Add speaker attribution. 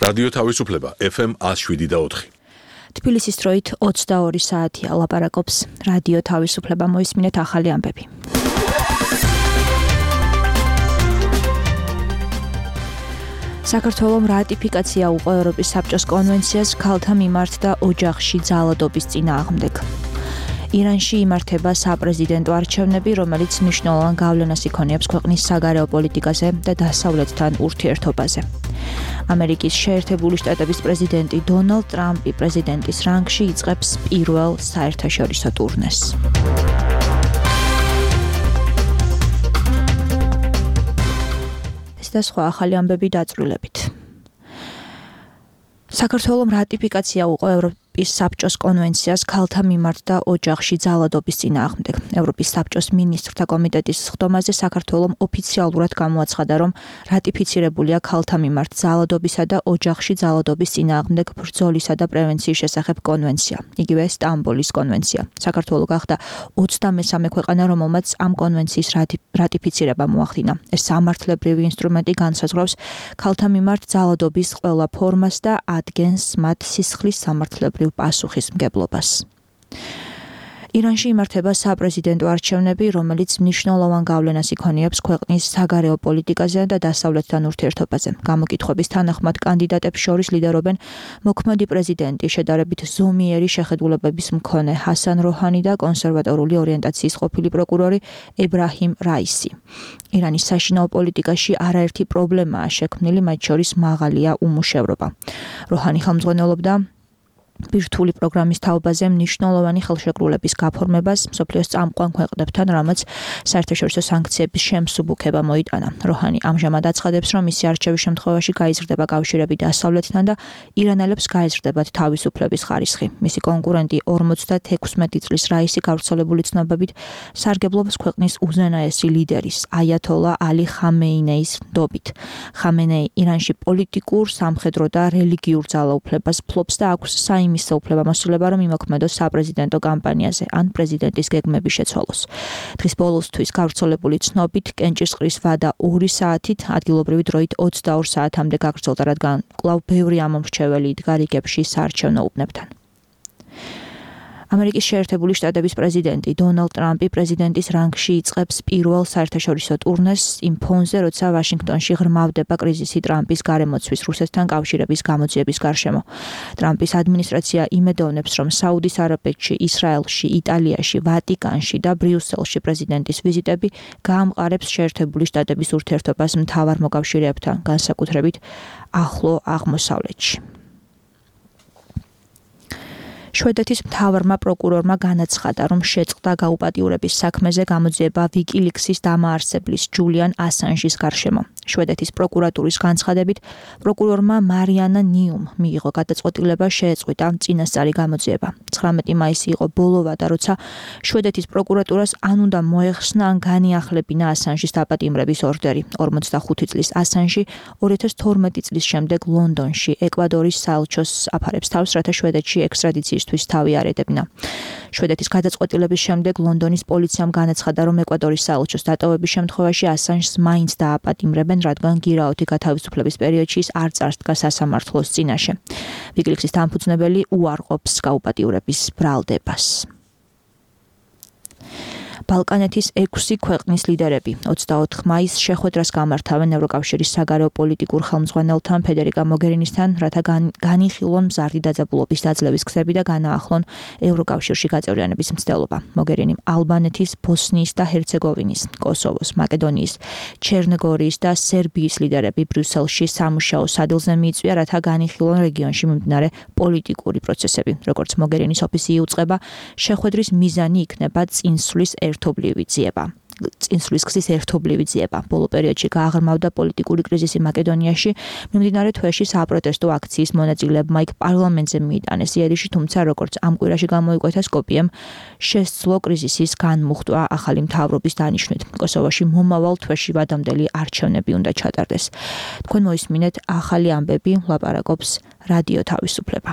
Speaker 1: რადიო თავისუფლება FM 107.4.
Speaker 2: თბილისის დროით 22 საათია, ლაპარაკობს რადიო თავისუფლება, მოისმინეთ ახალი ამბები. საქართველოს რატიფიკაცია უყო ევროპის საბჭოს კონვენციას ქალთა მიმართ და ოჯახში ძალადობის წინააღმდეგ. ირანში იმართება საპრეზიდენტო არჩევნები, რომელიც მნიშვნელოვან გავლენას იქონიებს ქვეყნის საგარეო პოლიტიკაზე და დასავლეთთან ურთიერთობაზე. ამერიკის შეერთებული შტატების პრეზიდენტი დონალდ ტრამპი პრეზიდენტის რანგში იწყებს პირველ საერთაშორისო ტურნეს. ეს და სხვა ახალი ამბები დაწვრილებით. საქართველოს რატიფიკაცია უყო ევროპის საბჭოს კონვენციას ქალთა მიმართ და ოჯახში ძალადობის წინააღმდეგ. ევროპის საბჭოს მინისტრთა კომიტეტის სხდომაზე საქართველოს ოფიციალურად გამოაცხადა, რომ რატიფიცირებულია ქალთა მიმართ ძალადობისა და ოჯახში ძალადობის წინააღმდეგ ბრძოლისა და პრევენციის შესახებ კონვენცია, იგივე სტამბოლის კონვენცია. საქართველოს გახდა 23 ქვეყანა, რომელმაც ამ კონვენციის რატიფიცირება მოახდინა. ეს სამართლებრივი ინსტრუმენტი განსაზღვრავს ქალთა მიმართ ძალადობის ყველა ფორმას და ადგენს მათ სისხლის სამართლებრივ პასუხისმგებლობას. ირანში იმართება საპრეზიდენტო არჩევნები, რომელიც მნიშვნელოვან გავლენას იქონიებს ქვეყნის საგარეო პოლიტიკაზე და დასავლეთთან ურთიერთობაზე. გამოკითხვების თანახმად კანდიდატებს შორის ლიდერობენ მოქმედი პრეზიდენტი, შედარებით ზომიერი შეხედულებების მქონე ჰასან როჰანი და კონსერვატორული ორიენტაციის ყოფილი პროკურორი ებრაჰიმ რაისი. ირანის საშინაო პოლიტიკაში არაერთი პრობლემაა შექმნილი, მათ შორის მაღალია უმუშევრობა. როჰანი ხელმძღვანელობდა ბირთვული პროგრამის თაობაზე მნიშვნელოვანი ხელშეკრულების გაფორმებას მსოფლიოს წამყვან ქვეყნებთან, რამაც საერთაშორისო სანქციების შემსუბუქება მოიტანა. როჰანი ამჟამად აცხადებს, რომ მისი არჩევის შემთხვევაში გაიზრდება კავშირები დასავლეთთან და ირანელებს გაეზრდებათ თავისუფლების ხარისხი. მისი კონკურენტი 56 წლის რაისი გავრცელებული ცნობებით სარგებლობს ქვეყნის უზენაესი ლიდერის აიათოლა ალი ხამეინეის ნდობით. ხამენეი ირანში პოლიტიკურ, სამხედრო და რელიგიურ ძალაუფლებას ფლობს და აქვს იმის უფლებამოსილება, რომ იმოქმედოს საპრეზიდენტო კამპანიაზე ან პრეზიდენტის გეგმების შეცვალოს. დღის ბოლოსთვის გავრცელებული ცნობით კენჭისყრის ვადა 2 საათით, ადგილობრივი დროით 22 საათამდე გაგრძელდა, რადგან კვლავ ბევრი ამომრჩეველი იდგა რიგებში საარჩევნო უბნებთან. ამერიკის შეერთებული შტატების პრეზიდენტი დონალდ ტრამპი პრეზიდენტის რანგში იწყებს პირველ საერთაშორისო ტურნეს იმ ფონზე, როცა ვაშინგტონში ღრმავდება კრიზისი ტრამპის გარემოცვის რუსეთთან კავშირების გამოძიების გარშემო. ტრამპის ადმინისტრაცია იმედოვნებს, რომ საუდის არაბეთში, ისრაელში, იტალიაში, ვატიკანში და ბრიუსელში პრეზიდენტის ვიზიტები გაამყარებს შეერთებული შტატების ურთიერთობას მთავარ მოკავშირეებთან, განსაკუთრებით ახლო აღმოსავლეთში. შვედეთის მთავარმა პროკურორმა განაცხადა, რომ შეწყდა გაუპატიურების საქმეზე გამოძიება ვიკილიქსის დამაარსებლის ჯულიან ასანჟის გარშემო. შვედეთის პროკურატურის განცხადებით, პროკურორმა მარიანა ნიუმ მიიღო გადაწყვეტილება შეეწყვიტა წინასწარი გამოძიება. 19 მაისი იყო ბოლო ვადა, როცა შვედეთის პროკურატურას ან უნდა მოეხსნა ან განიახლებინა ასანჟის დაპატიმრების ორდერი. 45 წლის ასანჟი 2012 წლის შემდეგ ლონდონში ეკვადორის საელჩოს აფარებს თავს, რათა შვედეთში ექსტრადიციის თავი არ ედებინა. შვედეთის გადაწყვეტილების შემდეგ ლონდონის პოლიციამ განაცხადა, რომ ეკვადორის საელჩოს დატოვების შემთხვევაში ასანჟს მაინც დააპატიმრებენ, რადგან გირაოთი გათავისუფლების პერიოდში ის არ წარსდგა სასამართლოს წინაშე. ვიკილიქსის დამფუძნებელი უარყოფს გაუპატიურების ბრალდებას. ბალკანეთის 6 ქვეყნის ლიდერები 24 მაისს შეხვედრას გამართავენ ევროკავშირის საგარეო პოლიტიკურ ხელმძღვანელთან ფედერიკა მოგერინისთან, რათა განიხილონ მზარდი დაძაბულობის დაძლევის გზები და განაახლონ ევროკავშირში გაწევრიანების მცდელობა. მოგერინიმ ალბანეთის, ბოსნიის და ჰერცეგოვინის, კოსოვოს, მაკედონიის, ჩერნოგორიის და სერბიის ლიდერები ბრიუსელში სამუშაო სადილზე მიიწვია, რათა განიხილონ რეგიონში მიმდინარე პოლიტიკური პროცესები. როგორც მოგერინის ოფისი იუწყება, შეხვედრის მიზანი იქნება წინსვლის წინსვლის გზის ერთობლივი ძიება. ბოლო პერიოდში გააღრმავდა პოლიტიკური კრიზისი მაკედონიაში, მიმდინარე თვეში საპროტესტო აქციის მონაწილეებმა იქ პარლამენტზე მიიტანეს იერიში, თუმცა როგორც ამ კვირაში გამოიკვეთა, სკოპიემ შესძლო კრიზისის განმუხტვა ახალი მთავრობის დანიშვნით. კოსოვოში მომავალ თვეში ვადამდელი არჩევნები უნდა ჩატარდეს. თქვენ მოისმინეთ ახალი ამბები, ლაპარაკობს რადიო თავისუფლება.